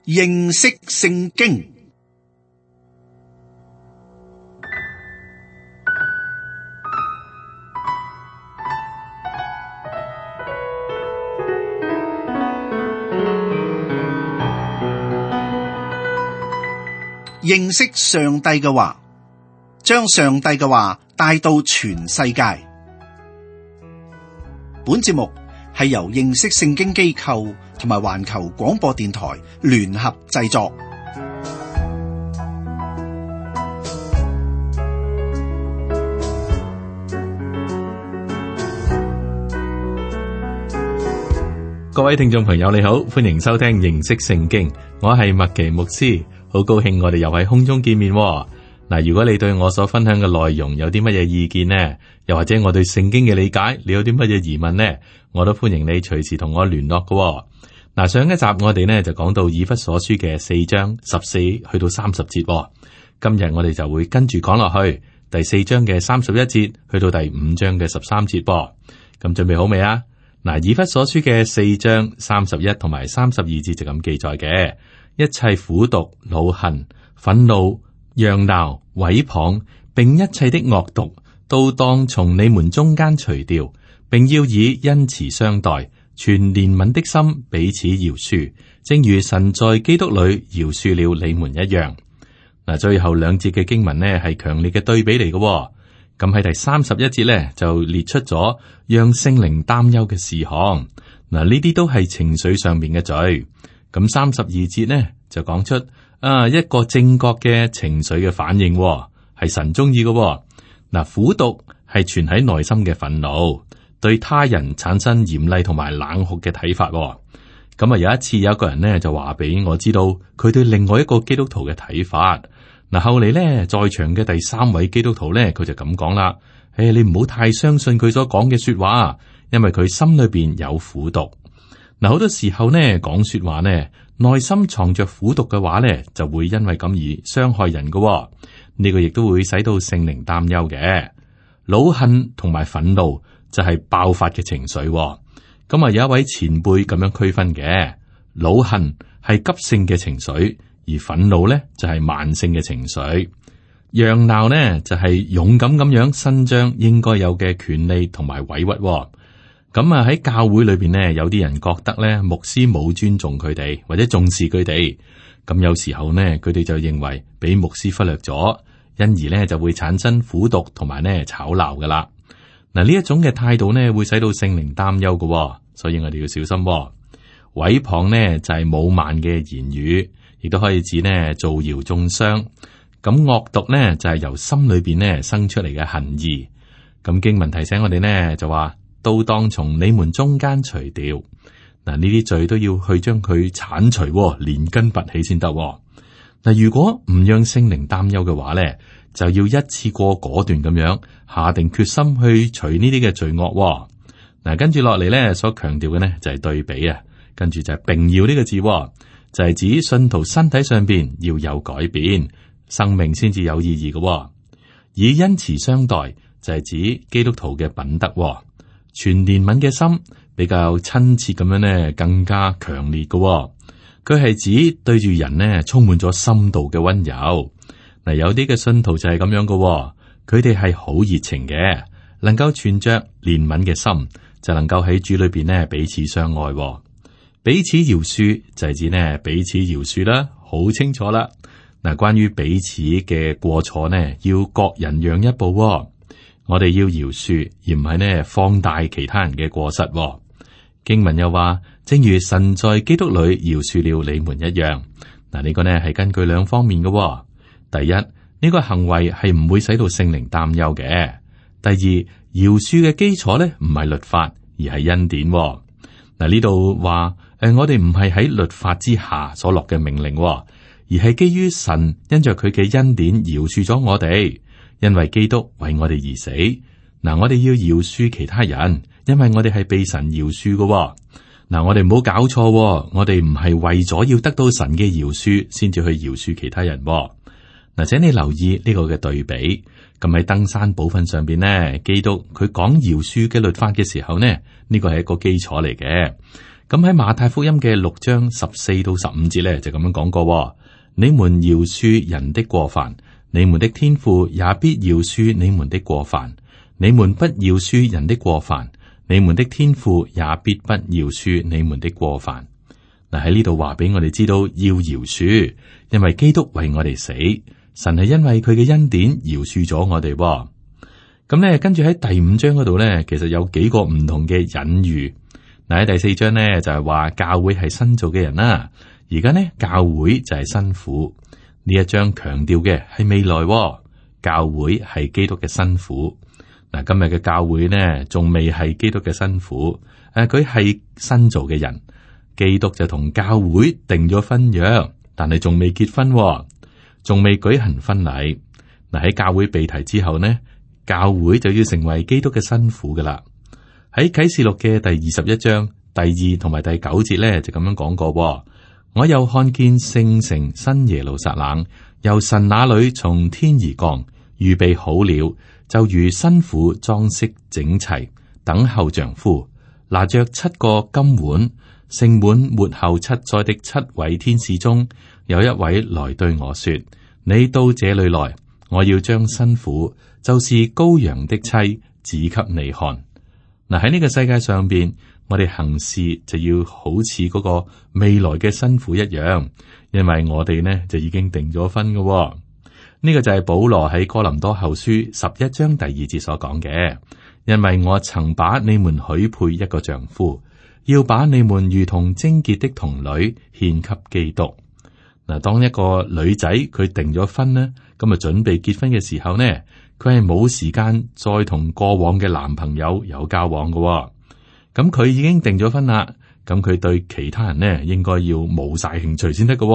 認識聖經。認識上帝嘅話，將上帝嘅話帶到全世界。本節目係由認識聖經機構同埋環球廣播電台聯合製作。各位聽眾朋友，你好，歡迎收聽認識聖經，我係麥奇牧師，好高興我哋又喺空中見面。嗱，如果你對我所分享嘅內容有啲乜嘢意見呢？又或者我對聖經嘅理解，你有啲乜嘢疑問呢？我都歡迎你隨時同我聯絡嘅。嗱，上一集我哋呢就講到以弗所書嘅4章14去到30節，今日我哋就會跟住講落去第4章嘅31節去到第5章嘅13節噃。咁準備好未啊？嗱，以弗所書嘅4章31同埋32節就咁記載嘅，一切苦毒、惱恨、憤怒、嚷鬧、毀謗，並一切的惡毒，都當從你們中間除掉，並要以恩慈相待，存憐憫的心彼此饒恕，正如神在基督裏饒恕了你們一樣。嗱，最後兩節嘅經文呢係強烈嘅對比嚟嘅。咁喺第31節呢，就列出咗讓聖靈擔憂嘅事項。嗱，呢啲都係情緒上面嘅罪。咁32節呢就講出一個正確嘅情緒嘅反應，係神中意嘅。嗱，苦毒係存喺內心嘅憤怒，對他人產生嚴厲同埋冷酷嘅睇法。咁有一次有一個人呢就話俾我知道佢對另外一個基督徒嘅睇法。嗱，後嚟呢，在場嘅第3位基督徒呢，佢就咁講啦：你唔好太相信佢所講嘅說話，因為佢心裏邊有苦毒。嗱，好多時候呢，講說話呢，內心藏着苦毒嘅話呢，就會因為咁而傷害人嘅。呢個亦都會使到聖靈擔憂嘅。惱恨同埋憤怒就係爆發嘅情緒。咁有一位前輩咁樣區分嘅，惱恨係急性嘅情緒。而憤怒咧就係慢性嘅情緒，嚷鬧呢就係勇敢咁樣伸張應該有嘅權利同埋委屈。咁喺教會裏邊呢，有啲人覺得咧牧師冇尊重佢哋或者重視佢哋，咁有時候呢，佢哋就認為俾牧師忽略咗，因而呢就會產生苦毒同埋呢吵鬧噶啦。嗱，呢一種嘅態度呢會使到聖靈擔憂嘅，所以我哋要小心。毀謗呢就係侮慢嘅言語。亦都可以指呢造謠中傷，咁惡毒呢就係由心裏邊呢生出嚟嘅恨意。咁經文提醒我哋呢就話，都當從你們中間除掉。嗱，呢啲罪都要去將佢鏟除，連根拔起先得。嗱，如果唔讓聖靈擔憂嘅話呢，就要一次過果斷咁樣下定決心去除呢啲嘅罪惡。嗱，跟住落嚟呢所強調嘅呢就係對比啊，跟住就係並要呢個字。就係指信徒身體上邊要有改變，生命先至有意義嘅。以恩慈相待就係指基督徒嘅品德。存憐憫嘅心比較親切咁樣呢，更加強烈嘅。佢係指對住人呢充滿咗深度嘅溫柔。嗱，有啲嘅信徒就係咁樣嘅，佢哋係好熱情嘅，能夠存着憐憫嘅心，就能夠喺主裏邊呢彼此相愛。彼此饒恕就係指呢彼此饒恕啦，好清楚啦。嗱，關於彼此嘅過錯呢，要各人讓一步。我哋要饒恕，而唔係呢放大其他人嘅過失。經文又話，正如神在基督裏饒恕了你們一樣。嗱，呢個呢係根據2方面嘅。第一，呢個行為係唔會使到聖靈擔憂嘅。第二，饒恕嘅基礎呢唔係律法，而係恩典。嗱，呢度話。我哋唔係喺律法之下所落嘅命令，而係基於神因着佢嘅恩典饒恕咗我哋，因為基督為我哋而死。嗱，我哋要饒恕其他人，因為我哋係被神饒恕嘅。嗱，我哋唔好搞錯，我哋唔係為咗要得到神嘅饒恕先至去饒恕其他人。嗱，請你留意呢個嘅對比。咁喺登山寶訓上邊呢，基督佢講饒恕嘅律法嘅時候呢，呢個係一個基礎嚟嘅。咁喺馬太福音嘅6章14到15節咧就咁樣講過：你們饒恕人的過犯，你們的天父也必饒恕你們的過犯；你們不饒恕人的過犯，你們的天父也必不饒恕你們的過犯。嗱，喺呢度話俾我哋知道要饒恕，因為基督為我哋死，神係因為佢嘅恩典饒恕咗我哋。咁咧，跟住喺第5章嗰度咧，其實有幾個唔同嘅隱喻。嗱，喺第4章咧就係話教會係新造嘅人啦，而家呢，教會就係新婦。呢一章強調嘅係未來，教會係基督嘅新婦。嗱，今日嘅教會呢，仲未係基督嘅新婦，佢係新造嘅人。基督就同教會定咗婚約，但係仲未結婚，仲未舉行婚禮。嗱，喺教會被提之後呢，教會就要成為基督嘅新婦噶啦。喺啟示錄嘅第21章第2同埋第9節咧，就咁樣講過：我又看見聖城新耶路撒冷由神那裏從天而降，預備好了，就如新婦裝飾整齊，等候丈夫，拿着7個金碗。盛滿末後7災的7位天使中，有一位來對我說：你到這裏來，我要將新婦，就是羔羊的妻，指給你看。嗱，喺呢個世界上邊，我哋行事就要好似嗰個未來嘅新婦一樣，因為我哋呢就已經訂咗婚嘅。呢個就係保羅喺哥林多後書11章第2節所講嘅，因為我曾把你們許配一個丈夫。要把你們如同貞潔的童女獻給基督。嗱，當一個女仔佢訂咗婚呢，咁啊準備結婚嘅時候呢，佢係冇時間再同過往嘅男朋友有交往嘅。咁佢已經訂咗婚啦，咁佢對其他人呢應該要冇晒興趣先得嘅。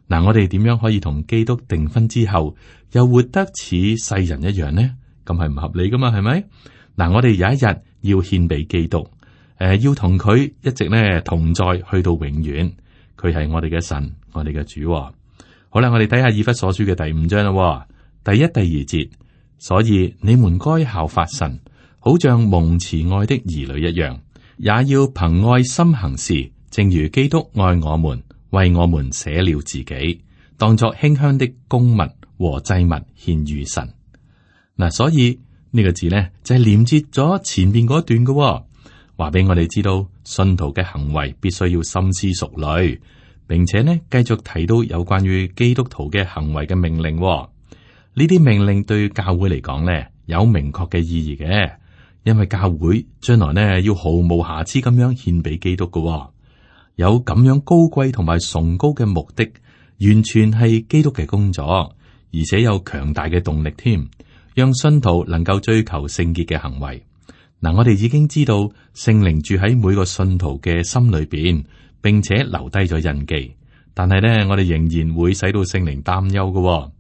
嗱，我哋點樣可以同基督訂婚之後又活得似世人一樣呢？咁係唔合理噶嘛？係咪？嗱，我哋有一日要獻俾基督。要同佢一直咧同在，去到永遠。佢係我哋嘅神，我哋嘅主。好啦，我哋睇下以弗所書嘅第5章啦。第1、第2節，所以你們該效法神，好像蒙慈愛的兒女一樣，也要憑愛心行事，正如基督愛我們，為我們捨了自己，當作馨香的供物和祭物獻與神。嗱，所以呢個字呢，就係連接咗前面嗰段嘅。話俾我哋知道，信徒嘅行為必須要深思熟慮，並且呢繼續提到有關於基督徒嘅行為嘅命令。呢啲命令對教會嚟講呢有明確嘅意義嘅，因為教會將來呢要毫無瑕疵咁樣獻俾基督嘅，有咁樣高貴同埋崇高嘅目的，完全係基督嘅工作，而且有強大嘅動力添，讓信徒能夠追求聖潔嘅行為。嗱，我哋已經知道聖靈住喺每個信徒嘅心裏邊，並且留低咗印記。但係呢，我哋仍然會使到聖靈擔憂嘅。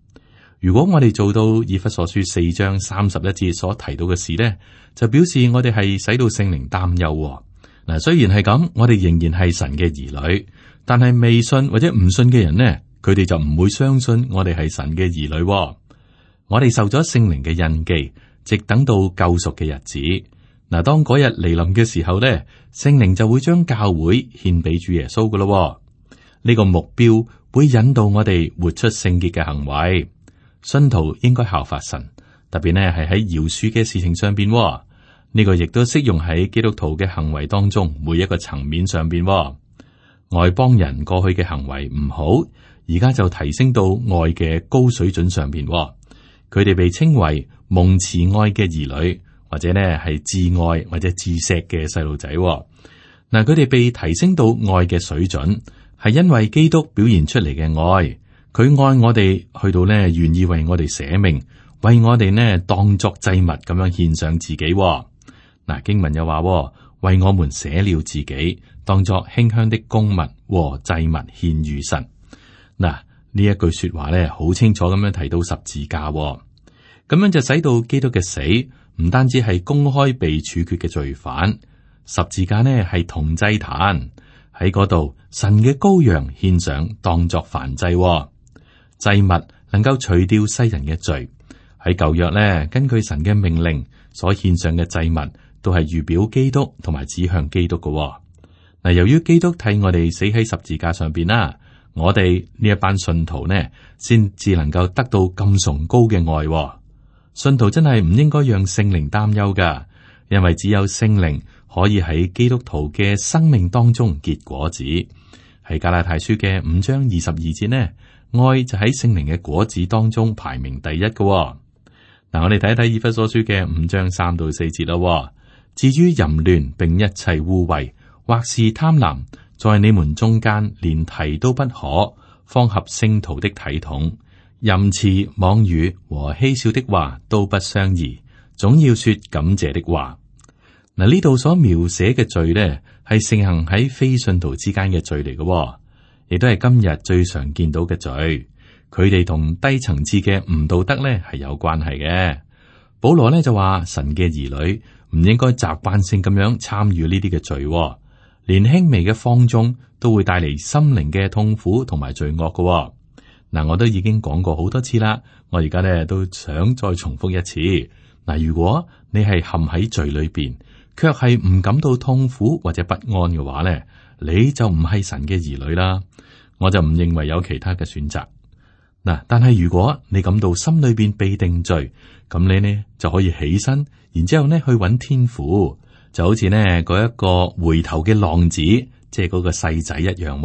如果我哋做到以弗所書4章31節所提到嘅事呢，就表示我哋係使到聖靈擔憂。嗱，雖然係咁，我哋仍然係神嘅兒女，但係未信或者唔信嘅人呢，佢哋就唔會相信我哋係神嘅兒女。我哋受咗聖靈嘅印記，直等到救贖嘅日子。嗱，當嗰日嚟臨嘅時候咧，聖靈就會將教會獻俾主耶穌噶咯。呢個目標會引導我哋活出聖潔嘅行為。信徒應該效法神，特別呢係喺饒恕嘅事情上邊。呢個亦都適用喺基督徒嘅行為當中每一個層面上邊。外邦人過去嘅行為唔好，而家就提升到愛嘅高水準上邊。佢哋被稱為蒙慈愛嘅兒女。或者呢係至愛或者至錫嘅細路仔，嗱，佢哋被提升到愛嘅水準，係因為基督表現出嚟嘅愛，佢愛我哋去到呢願意為我哋捨命，為我哋呢當作祭物咁樣獻上自己。嗱，經文又話，為我們捨了自己，當作馨香的供物和祭物獻與神。嗱，呢一句說話呢，好清楚咁樣提到十字架，咁樣就使到基督嘅死。唔單止係公開被處決嘅罪犯，十字架呢係銅祭壇，喺嗰度，神嘅羔羊獻上當作燔祭，祭物能夠除掉世人嘅罪。喺舊約呢，根據神嘅命令所獻上嘅祭物，都係預表基督同埋指向基督嘅。嗱，由於基督替我哋死喺十字架上邊啦，我哋呢一班信徒呢，先至能夠得到咁崇高嘅愛。信徒真係唔應該讓聖靈擔憂噶，因為只有聖靈可以喺基督徒嘅生命當中結果子。喺加拉太書嘅5章22節呢，愛就喺聖靈嘅果子當中排名第一嘅。嗱，我哋睇一睇以弗所書嘅5章3到4節咯。至於淫亂並一切污穢，或是貪婪，在你們中間連提都不可，方合聖徒的體統。淫詞妄語和戲笑的話都不相宜，總要說感謝的話。嗱，呢度所描寫嘅罪呢，係盛行喺非信徒之間嘅罪嚟嘅，亦都係今日最常見到嘅罪。佢哋同低層次嘅唔道德呢係有關係嘅。保羅呢就話，神嘅兒女唔應該習慣性咁樣參與呢啲嘅罪，連輕微嘅放縱都會帶嚟心靈嘅痛苦同埋罪惡嘅。嗱，我都已經講過好多次啦，我而家呢都想再重複一次。嗱，如果你係陷喺罪裏邊，卻係唔感到痛苦或者不安嘅話呢，你就唔係神嘅兒女啦。我就唔認為有其他嘅選擇。嗱，但係如果你感到心裏邊被定罪，咁你呢就可以起身，然之後呢去揾天父，就好似呢嗰一個回頭嘅浪子，即係嗰個細仔一樣。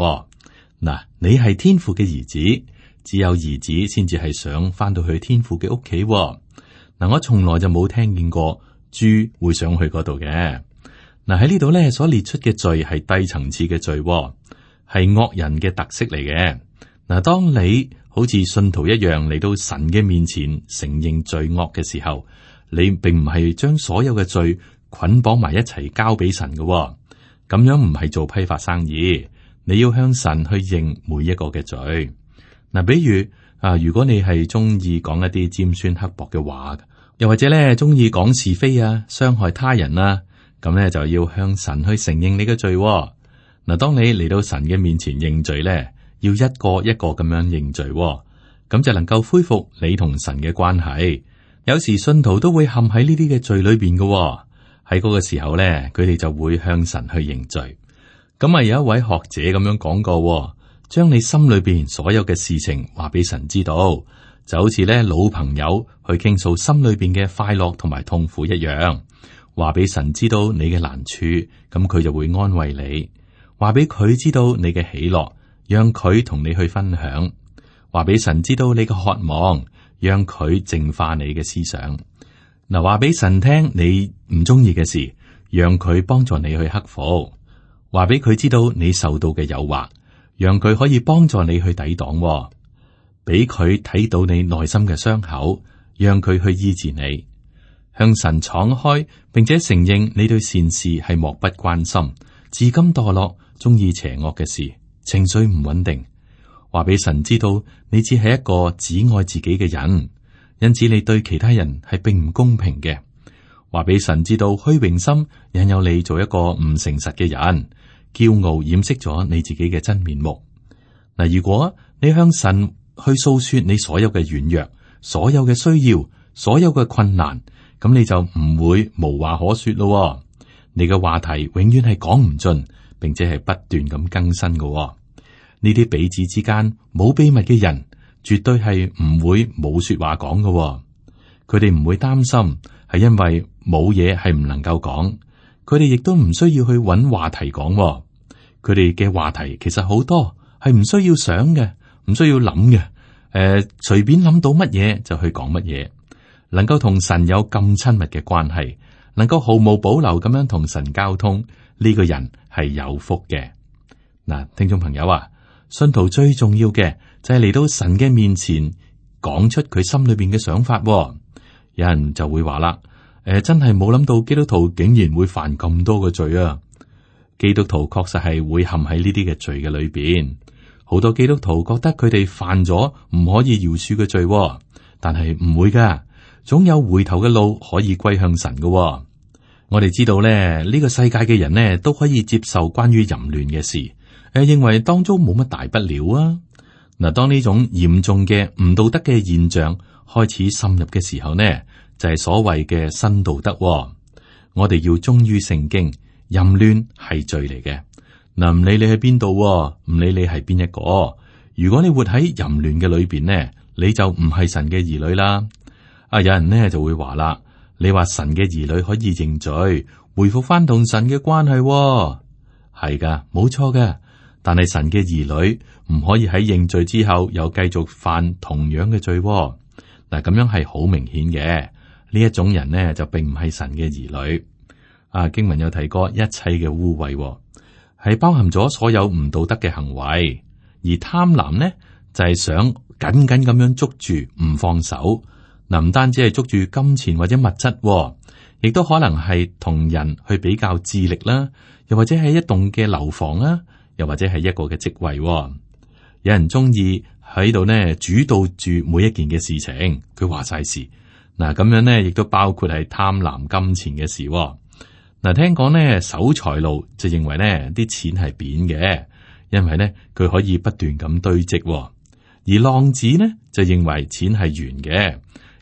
嗱，你係天父嘅兒子。只有兒子先至係想翻到去天父嘅屋企。嗱，我從來就冇聽見過豬會想去嗰度嘅。嗱，喺呢度咧所列出嘅罪係低層次嘅罪，係惡人嘅特色嚟嘅。嗱，當你好似信徒一樣嚟到神嘅面前承認罪惡嘅時候，你並唔係將所有嘅罪捆綁埋一齊交俾神嘅。咁樣唔係做批發生意，你要向神去認每一個嘅罪。嗱，比如如果你係中意講一啲尖酸刻薄嘅話，又或者咧中意講是非啊，傷害他人啊，咁咧就要向神去承認你嘅罪。嗱，當你嚟到神嘅面前認罪咧，要一個一個咁樣認罪，咁就能夠恢復你同神嘅關係。有時信徒都會陷喺呢啲嘅罪裏邊嘅，喺嗰個時候咧，佢哋就會向神去認罪。咁啊，有一位學者咁樣講過。將你心裏邊所有嘅事情話俾神知道，就好似咧老朋友去傾訴心裏邊嘅快樂同埋痛苦一樣，話俾神知道你嘅難處，咁佢就會安慰你；話俾佢知道你嘅喜樂，讓佢同你去分享；話俾神知道你嘅渴望，讓佢淨化你嘅思想。嗱，話俾神聽你唔中意嘅事，讓佢幫助你去克服；話俾佢知道你受到嘅誘惑，讓佢可以幫助你去抵擋，俾佢睇到你內心嘅傷口，讓佢去醫治你。向神敞開，並且承認你對善事係漠不關心，自甘墮落，中意邪惡嘅事，情緒唔穩定。話俾神知道，你只係一個只愛自己嘅人，因此你對其他人係並唔公平嘅。話俾神知道，虛榮心引誘你做一個唔誠實嘅人。驕傲掩飾咗你自己嘅真面目。嗱，如果你向神去訴說你所有嘅軟弱、所有嘅需要、所有嘅困難，咁你就唔會無話可說咯。你嘅話題永遠係講唔盡，並且係不斷咁更新嘅。呢啲彼此之間冇秘密嘅人，絕對係唔會冇說話講嘅。佢哋唔會擔心，係因為冇嘢係唔能夠講。佢哋亦都唔需要去揾話題講，佢哋嘅話題其實好多，係唔需要想嘅，唔需要諗嘅，隨便諗到乜嘢就去講乜嘢。能夠同神有咁親密嘅關係，能夠毫無保留咁樣同神交通，呢個人係有福嘅。嗱，聽眾朋友啊，信徒最重要嘅就係嚟到神嘅面前，講出佢心裏邊嘅想法。有人就會話啦。真係冇諗到基督徒竟然會犯咁多嘅罪啊！基督徒確實係會陷喺呢啲嘅罪嘅裏邊。好多基督徒覺得佢哋犯咗唔可以饒恕嘅罪，但係唔會噶，總有回頭嘅路可以歸向神噶。我哋知道咧，呢個世界嘅人呢都可以接受關於淫亂嘅事，認為當中冇乜大不了啊。嗱，當呢種嚴重嘅唔道德嘅現象開始滲入嘅時候呢，就係所謂嘅新道德。我哋要忠於聖經，淫亂係罪嚟嘅。嗱，唔理你喺邊度，唔理你係邊一個，如果你活喺淫亂嘅裏邊呢，你就唔係神嘅兒女啦。有人呢就會話啦，你話神嘅兒女可以認罪，回復翻同神嘅關係，係噶，冇錯嘅。但係神嘅兒女唔可以喺認罪之後又繼續犯同樣嘅罪。嗱，咁樣係好明顯嘅。呢一種人呢就並唔係神嘅兒女。經文有提過一切嘅污穢，係包含咗所有唔道德嘅行為，而貪婪呢就係想緊緊咁樣捉住唔放手。嗱，唔單止係捉住金錢或者物質，亦都可能係同人去比較智力啦，又或者係一棟嘅樓房啦，又或者係一個嘅職位。有人中意喺度呢主導住每一件嘅事情，佢話晒事。嗱，咁樣呢亦都包括係貪婪金錢嘅事。嗱，聽講呢守財奴就認為呢啲錢係扁嘅，因為呢佢可以不斷咁堆積；而浪子呢就認為錢係圓嘅，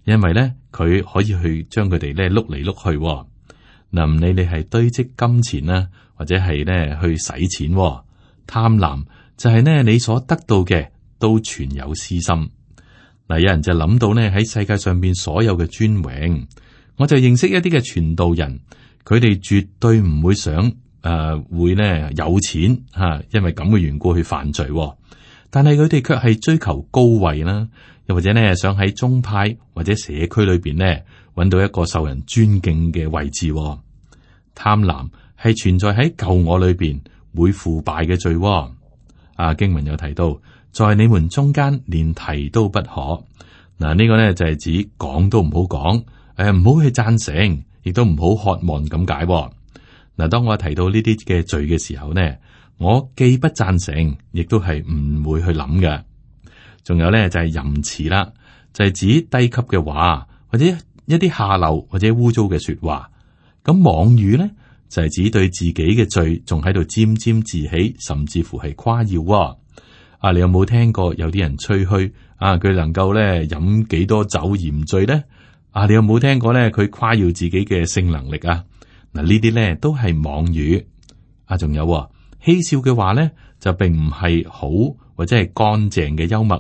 因為呢佢可以去將佢哋呢碌嚟碌去。嗱，唔理你係堆積金錢啦，或者係呢去使錢，貪婪就係呢你所得到嘅都存有私心。嗱，有人就諗到呢喺世界上邊所有嘅尊榮，我就認識一啲嘅傳道人。佢哋絕對唔會想會呢有錢吓，因為咁嘅緣故去犯罪。但係佢哋卻係追求高位啦，又或者呢想喺宗派或者社區裏邊呢揾到一個受人尊敬嘅位置。貪婪係存在喺舊我裏邊會腐敗嘅罪。經文有提到，在你們中間連提都不可。嗱，呢個呢就係指講都唔好講，唔好去贊成。亦都唔好渴望咁解。嗱，當我提到呢啲嘅罪嘅時候呢，我既不贊成，亦都係唔會去諗嘅。仲有呢，就係淫詞啦，就係指低級嘅話，或者一啲下流或者污糟嘅說話。咁妄語呢，就係指對自己嘅罪仲喺度沾沾自喜，甚至乎係誇耀。你有冇聽過有啲人吹噓佢能夠咧飲幾多酒而唔醉呢？你有冇聽過咧？佢誇耀自己嘅性能力啊！嗱，呢啲咧都係妄語。仲有嬉笑嘅話咧，就並唔係好或者係乾淨嘅幽默，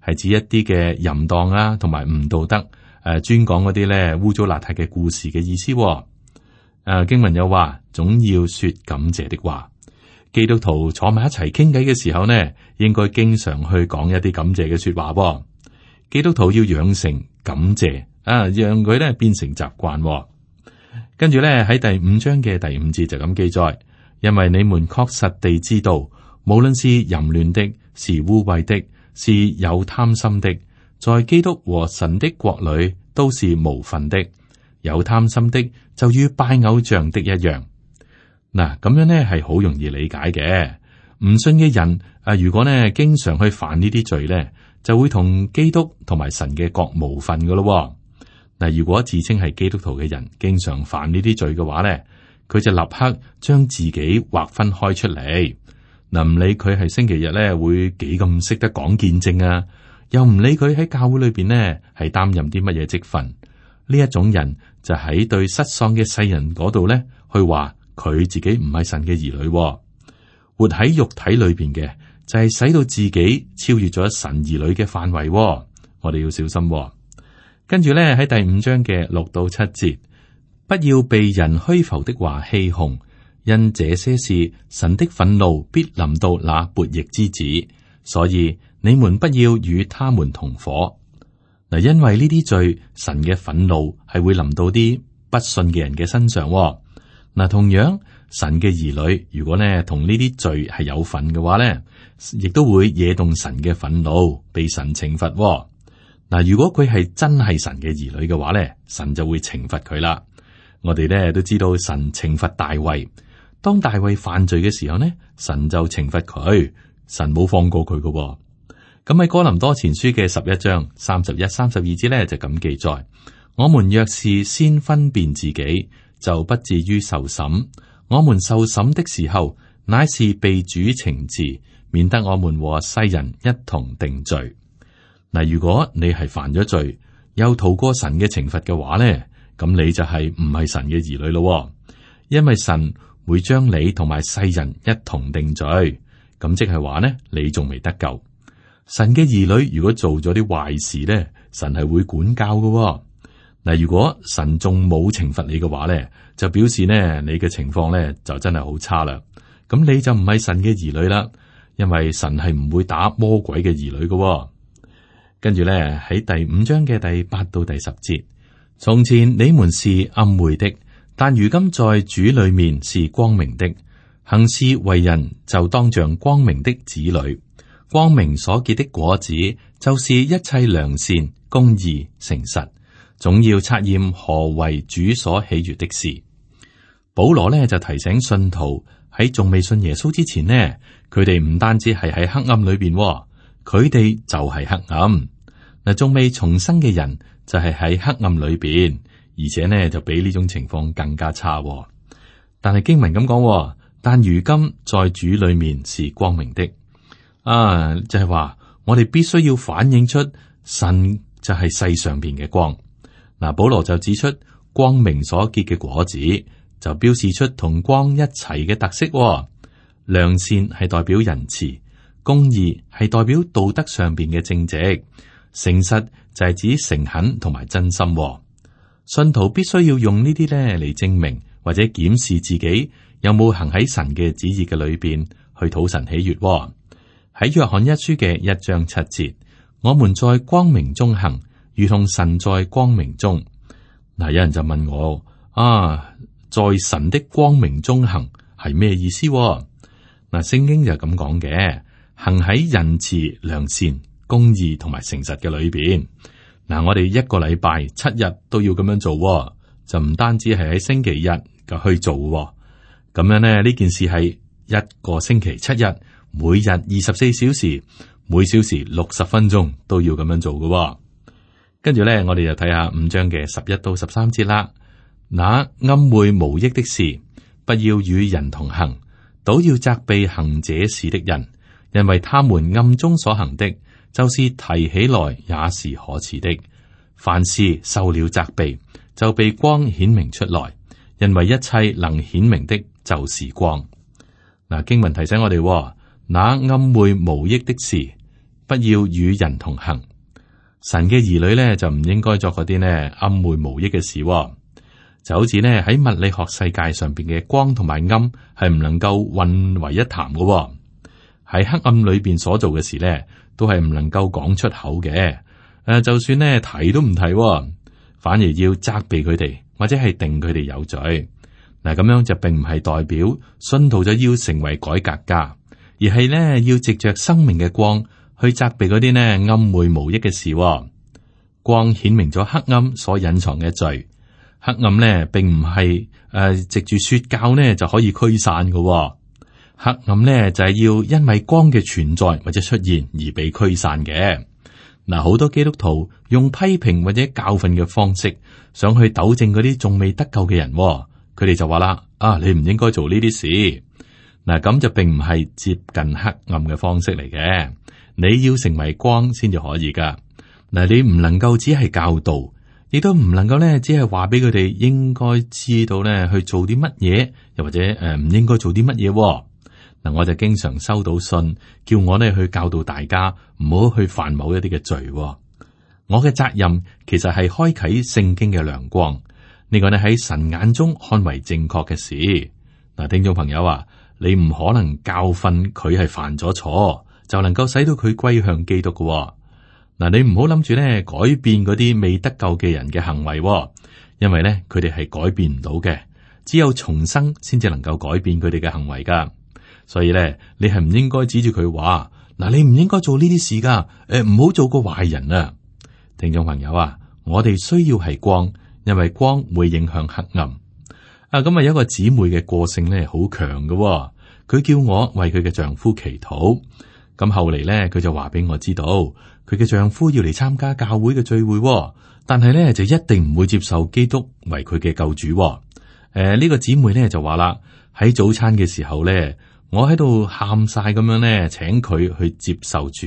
係指一啲嘅淫蕩啊，同埋唔道德專講嗰啲咧污糟邋遢嘅故事嘅意思。經文有話，總要說感謝的話。基督徒坐埋一齊傾偈嘅時候呢，應該經常去講一啲感謝嘅說話。基督徒要養成感謝。讓佢咧變成習慣。跟住咧喺第5章嘅第5節就咁記載，因為你們確實地知道，無論是淫亂的，是污穢的，是有貪心的，在基督和神的國裏都是無分的。有貪心的就與拜偶像的一樣。嗱，咁樣呢係好容易理解嘅。唔信嘅人如果呢經常去犯呢啲罪呢，就會同基督同埋神嘅國無分噶咯。嗱，如果自稱係基督徒嘅人，經常犯呢啲罪嘅話咧，佢就立刻將自己劃分開出嚟。嗱，唔理佢係星期日咧會幾咁識得講見證啊，又唔理佢喺教會裏邊呢係擔任啲乜嘢職分，呢一種人就喺對失喪嘅世人嗰度咧去話佢自己唔係神嘅兒女，活喺肉體裏邊嘅就係使到自己超越咗神兒女嘅範圍。我哋要小心。跟住咧喺第5章嘅6到7節，不要被人虛浮的話欺哄，因這些事神的憤怒必臨到那悖逆之子，所以你們不要與他們同伙。嗱，因為呢啲罪，神嘅憤怒係會臨到啲不信嘅人嘅身上。嗱，同樣神嘅兒女如果呢同呢啲罪係有份嘅話呢，亦都會惹動神嘅憤怒，被神懲罰。嗱，如果佢係真係神嘅兒女嘅話咧，神就會懲罰佢啦。我哋咧都知道神懲罰大衛，當大衛犯罪嘅時候呢，神就懲罰佢，神冇放過佢嘅。咁喺哥林多前書嘅11章31、32節咧就咁記載：我們若是先分辨自己，就不至於受審。我們受審的時候，乃是被主懲治，免得我們和世人一同定罪。嗱，如果你係犯咗罪，又逃過神嘅懲罰嘅話咧，咁你就係唔係神嘅兒女咯。因為神會將你同埋世人一同定罪。咁即係話呢，你仲未得救。神嘅兒女如果做咗啲壞事呢，神係會管教㗎。嗱，如果神仲冇懲罰你嘅話呢，就表示呢，你嘅情況呢就真係好差啦。咁你就唔係神嘅兒女啦，因為神係唔會打魔鬼嘅兒女㗎。跟住呢，喺第5章嘅第8到第10節，從前你們是暗昧的，但如今在主裏面是光明的，行事為人就當像光明的子女。光明所結的果子，就是一切良善、公義、誠實，總要察驗何為主所喜悅的事。保羅呢就提醒信徒喺仲未信耶穌之前呢，佢哋唔單止係喺黑暗裏邊，佢哋就係黑暗。嗱，仲未重生嘅人就係喺黑暗裏邊，而且呢就比呢種情況更加差。但係經文咁講，但如今在主裏面是光明的。就係話我哋必須要反映出神就係世上邊嘅光。嗱，保羅就指出光明所結嘅果子，就標示出同光一齊嘅特色。良善係代表仁慈，公義係代表道德上邊嘅正直，誠實就係指誠懇同埋真心。信徒必須要用呢啲咧嚟證明或者檢視自己有冇行喺神嘅旨意嘅裏邊去討神喜悅。喺約翰一書嘅1章7節，我們在光明中行，如同神在光明中。嗱，有人就問我在神的光明中行係咩意思？嗱，聖經就咁講嘅，行喺仁慈、良善、公義同埋誠實嘅裏邊。嗱，我哋一個禮拜7日都要咁樣做，就唔單止係喺星期日就去做。咁樣呢，呢件事係一個星期7日。每日24小時，每小時60分鐘都要咁樣做嘅。跟住咧，我哋就睇下5章嘅11到13節啦。那暗昧無益的事，不要與人同行，倒要責備行這事的人，因為他們暗中所行的，就是提起來也是可恥的。凡事受了責備，就被光顯明出來，因為一切能顯明的，就是光。嗱，經文提醒我哋。那暗昧無益的事，不要與人同行。神嘅兒女咧就唔應該作嗰啲呢暗昧無益嘅事。就好似呢喺物理學世界上邊嘅光同埋暗係唔能夠混為一談嘅。喺黑暗裏邊所做嘅事呢，都係唔能夠講出口嘅。就算呢提都唔提，反而要責備佢哋，或者係定佢哋有罪。嗱，咁樣就並唔係代表信徒就要成為改革家。而係呢，要藉着生命嘅光去責備嗰啲呢暗昧無益嘅事。光顯明咗黑暗所隱藏嘅罪。黑暗呢並唔係藉住說教呢就可以驅散嘅。黑暗呢就係要因為光嘅存在或者出現而被驅散嘅。嗱，好多基督徒用批評或者教訓嘅方式，想去糾正嗰啲仲未得救嘅人。佢哋就話啦：你唔應該做呢啲事。嗱，咁就並唔係接近黑暗嘅方式嚟嘅。你要成為光先至可以噶。嗱，你唔能夠只係教導，亦都唔能夠咧只係話俾佢哋應該知道咧去做啲乜嘢，又或者唔應該做啲乜嘢。嗱，我就經常收到信，叫我咧去教導大家唔好去犯某一啲嘅罪。我嘅責任其實係開啟聖經嘅亮光，呢個咧喺神眼中看為正確嘅事。嗱，聽眾朋友啊，你唔可能教訓佢係犯咗錯，就能夠使到佢歸向基督嘅。嗱，你唔好諗住咧改變嗰啲未得救嘅人嘅行為，因為咧佢哋係改變唔到嘅，只有重生先至能夠改變佢哋嘅行為噶。所以咧，你係唔應該指住佢話，嗱，你唔應該做呢啲事噶，唔好做個壞人啊！聽眾朋友啊，我哋需要係光，因為光會影響黑暗。咁有一個姊妹嘅個性咧好強嘅，佢叫我為佢嘅丈夫祈禱。咁後嚟咧，佢就話俾我知道，佢嘅丈夫要嚟參加教會嘅聚會，但係咧就一定唔會接受基督為佢嘅救主。呢個姊妹咧就話啦，喺早餐嘅時候咧，我喺度喊晒咁樣咧，請佢去接受主。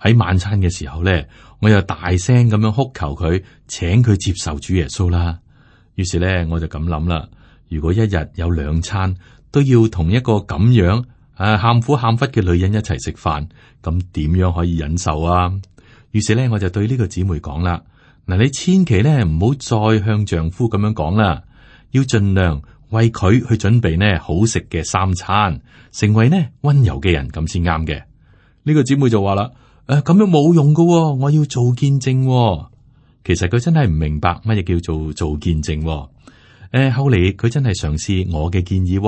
喺晚餐嘅時候咧，我又大聲咁樣哭求佢，請佢接受主耶穌啦。於是咧，我就咁諗啦。如果一日有2餐都要同一個咁樣喊苦喊忽嘅女人一齊食飯，咁點樣可以忍受啊？於是咧，我就對呢個姊妹講啦：嗱，你千祈咧唔好再向丈夫咁樣講啦，要盡量為佢去準備呢好食嘅3餐，成為呢溫柔嘅人咁先啱嘅。呢個姊妹就話啦：咁樣冇用噶，我要做見證。其實佢真係唔明白乜嘢叫做見證。後嚟佢真係嘗試我嘅建議，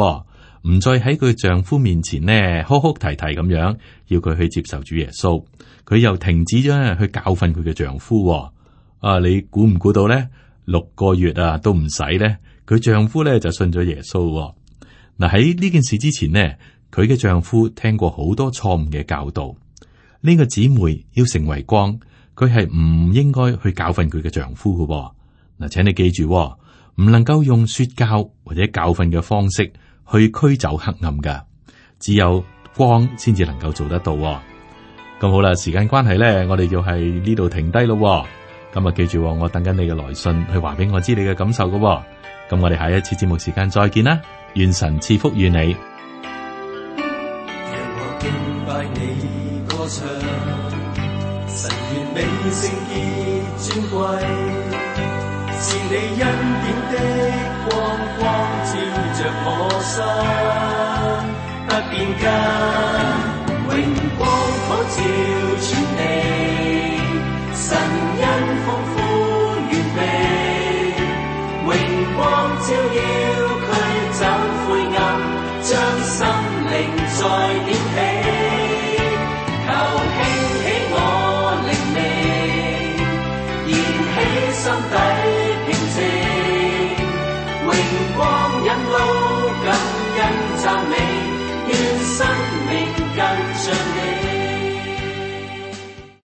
唔再喺佢丈夫面前呢哭哭啼啼咁樣，要佢去接受主耶穌。佢又停止咗去教訓佢嘅丈夫。你估唔估到呢？6個月都唔使呢，佢丈夫呢就信咗耶穌。嗱，喺呢件事之前呢，佢嘅丈夫聽過好多錯誤嘅教導。呢個姊妹要成為光，佢係唔應該去教訓佢嘅丈夫嘅。嗱，請你記住，唔能夠用說教或者教訓嘅方式去驅走黑暗噶，只有光先至能夠做得到。咁好啦，時間關係咧，我哋就係呢度停低咯。咁啊，記住，我等緊你嘅來信去話俾我知你嘅感受噶。咁我哋下一次節目時間再見啦，願神賜福於你。讓我敬拜你歌唱，神完美聖潔尊貴，是你恩典的光照着我心，不變更。榮光普照全地，神恩豐富完備，榮光照耀驅走灰暗，將心靈再點起，求興起我靈命，燃起心底平靜，榮光引路